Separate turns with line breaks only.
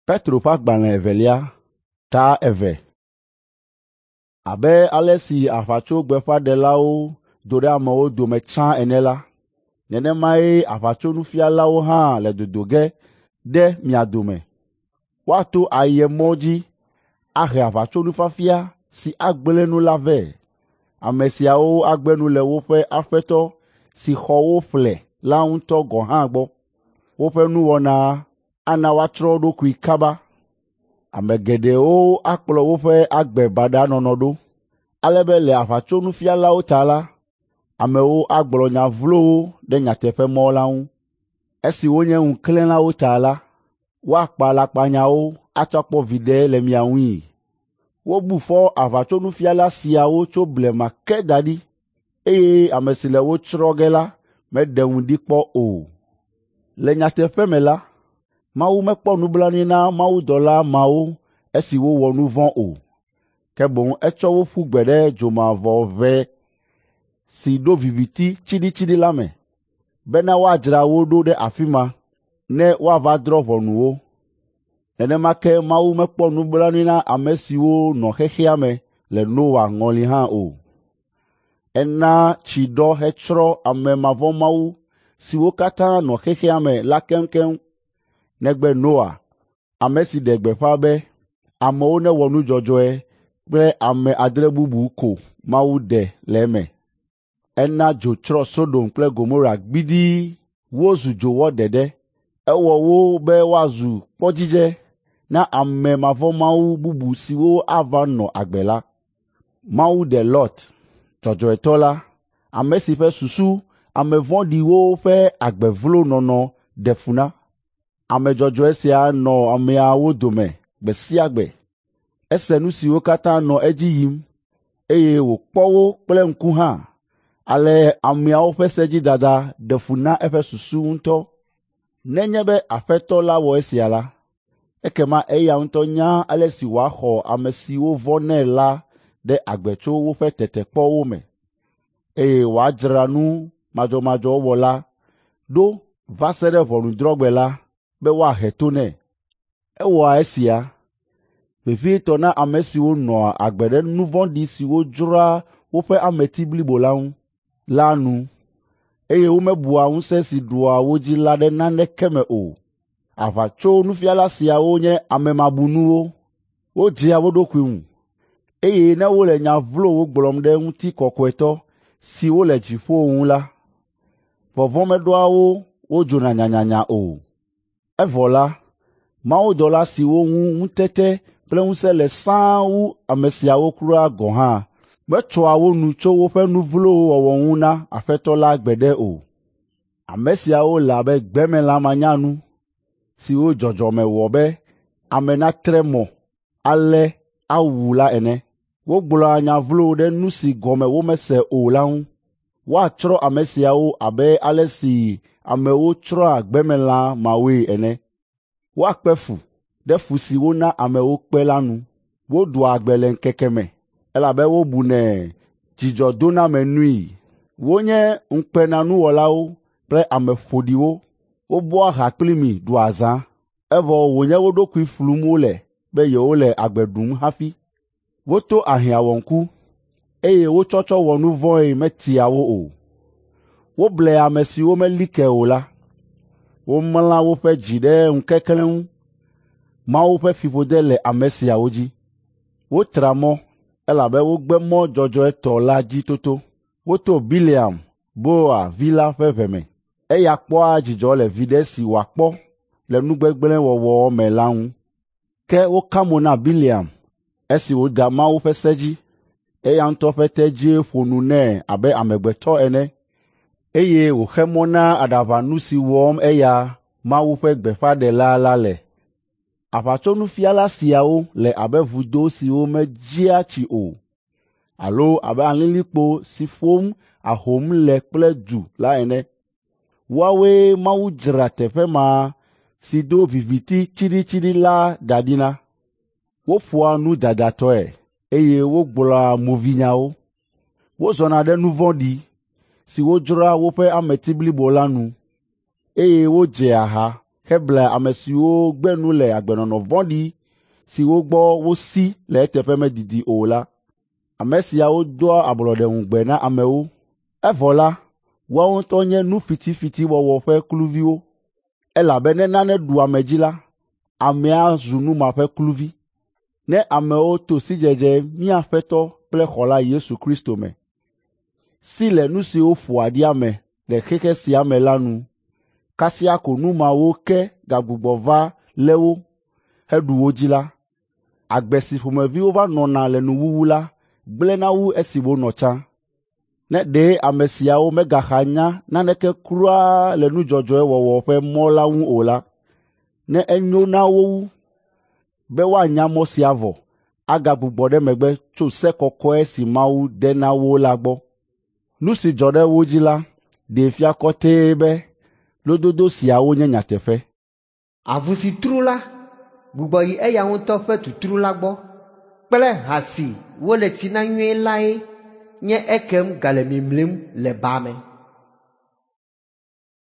Petro ƒe agbalẽ evelia, ta 2. Abe ale si aʋatsogbeƒãɖelawo do ɖe amewo dome tsã ene la, nenemae aʋatsonufialawo hã le dodo ge ɖe mia dome. Woato ayemɔ dzi ahe aʋatsonufiafia si agblẽ nu la vɛ. Ame siawo agbe nu le woƒe Aƒetɔ si xɔ wo ƒle la ŋutɔ gɔ̃ hã gbɔ. Woƒe nuwɔna ana woatsrɔ̃ wo ɖokui kaba. Ame geɖewo akplɔ woƒe agbe baɖa nɔnɔ ɖo, ale be le aʋatsonufialawo ta la, amewo agblɔ nya vlowo ɖe nyateƒemɔ la ŋu. Esi wonye ŋuklẽlawo ta la, woakpa alakpanyawo atsɔ akpɔ viɖe le mia ŋui. Wobu fɔ aʋatsonufiala siawo tso blema ke da ɖi, eye ame si le wo tsrɔ̃ ge la meɖe ŋu ɖi kpɔ o. Le nyateƒe me la, Mawu mekpɔ nublanui na mawudɔla mawo esi wowɔ nu vɔ̃ o, ke boŋ etsɔ wo ƒu gbe ɖe dzomavɔʋe si ɖo viviti tsiɖitsiɖi la me, bena woadzra wo ɖo ɖe afi ma ne woava drɔ̃ ʋɔnu wo. Nenema ke Mawu mekpɔ nublanui na ame siwo nɔ xexea me le Noa ŋɔli hã o. Ena tsi ɖɔ hetsrɔ̃ ame mavɔ̃mawu siwo katã nɔ xexea me la keŋkeŋ, negbe Noa, ame si ɖe gbeƒã be amewo newɔ nu dzɔdzɔe kple ame 6 bubu ko Mawu ɖe le eme. Ena dzo tsrɔ̃ Sodom kple Gomora gbidii wozu dzowɔ ɖeɖe. Ewɔ wo be woazu kpɔdzidze na ame mavɔ̃mawu bubu siwo ava nɔ agbe la. Mawu ɖe Lot, dzɔdzɔetɔ la, ame si ƒe susu ame vɔ̃ɖiwo ƒe agbe vlo nɔnɔ ɖe fu na. Ame dzɔdzɔe sia nɔ ameawo dome gbe sia gbe. Ese nu siwo katã nɔ edzi yim, eye wòkpɔ wo kple ŋku hã. Ale ameawo ƒe sedzidada ɖe fu na eƒe susu ŋutɔ. Nenye be Aƒetɔ la wɔ esia la, ekema eya ŋutɔ nya ale si wòaxɔ ame siwo vɔ̃nɛ la ɖe agbe tso woƒe tetekpɔwo me, eye wòadzra nu madzɔmadzɔ wɔla ɖo va se ɖe ʋɔnudrɔ̃gbe la be woahe to nɛ. Ewɔa esia, vevietɔ na ame siwo nɔa agbe ɖe nu vɔ̃ɖi siwo dzroa woƒe ameti blibo la ŋu la nu, eye womebua ŋusẽ si ɖua wo dzi la ɖe naneke me o. Aʋatsonufiala siawo nye ame mabunuwo, wodzea wo ɖokui ŋu, eye ne wole nya vlowo gblɔm ɖe ŋutikɔkɔetɔ siwo le dziƒo ŋu la, vɔvɔ̃ meɖoa wo wodzona nyanyanya o. Evɔ la, mawudɔla siwo ŋu ŋutete kple ŋusẽ le sãa wu ame siawo kura gɔ̃ hã metsɔa wo nu tso woƒe nu vlowo wɔwɔ ŋu na Aƒetɔ la gbeɖe o. Ame siawo le abe gbemelã manyanu siwo dzɔdzɔme wɔ be ame natre mɔ alé awu la ene. Wogblɔa nya vlowo ɖe nu si gɔme womese o la ŋu. Woatsrɔ̃ ame siawo abe ale si amewo tsrɔ̃a gbemelã mawoe ene. Woakpe fu ɖe fu si wona amewo kpe la nu. Woɖua agbe le ŋkeke me, elabe wobunɛ dzidzɔdonamenui. Wonye ŋukpenanuwɔlawo kple ame ƒoɖiwo. Wobɔa ha kpli mi ɖua azã, evɔ wònye wo ɖokui flum wole be yewole agbe ɖum hafi. Woto ahiãwɔŋku, eye wo tsɔtsɔ wɔ nu vɔ̃e metia wo o. Woble ame siwo meli ke o la. Womla woƒe dzi ɖe ŋukeklẽ ŋu. Mawu ƒe fiƒode le ame siawo dzi. Wotra mɔ, elabe wogbe mɔ dzɔdzɔetɔ la dzi toto. Woto Bileam, Beor vi la ƒe ʋe me. Eya kpɔa dzidzɔ le viɖe si wòakpɔ le nu gbegblẽ wɔwɔ me la ŋu. Ke woka mo na Bileam esi wòda Mawu ƒe se dzi. Eya ŋutɔ ƒe tedzie ƒo nu nɛ abe amegbetɔ ene, eye wòxe mɔ na aɖaʋanu si wɔm eya Mawu ƒe gbeƒãɖela la le. Aʋatsonufiala siawo le abe vudo siwo medzia tsi o, alo abe alilikpo si ƒom ahom le kple du la ene. Woawoe Mawu dzra teƒe ma si do viviti tsiɖitsiɖi la da ɖi na. Woƒoa nu dadatɔe, eye wogblɔa movinyawo. Wozɔna ɖe nu vɔ̃ɖi siwo dzroa woƒe ameti blibo la nu, eye wodzea ha heblea ame siwo gbe nu le agbenɔnɔ vɔ̃ɖi siwo gbɔ wosi le eteƒe medidi o la. Ame siawo doa ablɔɖeŋugbe na amewo, evɔ la, woawo ŋutɔ nye nu fitifitiwɔwɔ ƒe kluviwo, elabe ne nane ɖu ame dzi la, amea zu nu ma ƒe kluvi. Ne amewo to sidzedze mía Aƒetɔ kple Xɔla Yesu Kristo me, si le nu siwo ƒoa ɖi ame le xexe sia me la nu, kasia ko nu mawo ke gagbugbɔ va lé wo heɖu wo dzi la, agbe si ƒomevi wova nɔna le nuwuwu la gblẽna wu esi wonɔ tsã. Ne ɖe ame siawo megaxa nya naneke kura le nu dzɔdzɔe wɔwɔ ƒe mɔ la ŋu o la, ne enyo na wo wu be woanya mɔ sia vɔ agagbugbɔ ɖe megbe tso se kɔkɔe si Mawu de na wo la gbɔ. Nu si dzɔ ɖe wo dzi la ɖee fia kɔtɛe be lododo siawo nye nyateƒe.
Avu si tru la gbugbɔ yi eya ŋutɔ ƒe tutru la gbɔ kple ha si wole tsi na nyuie lae nye ekem gale mimlim le ba me.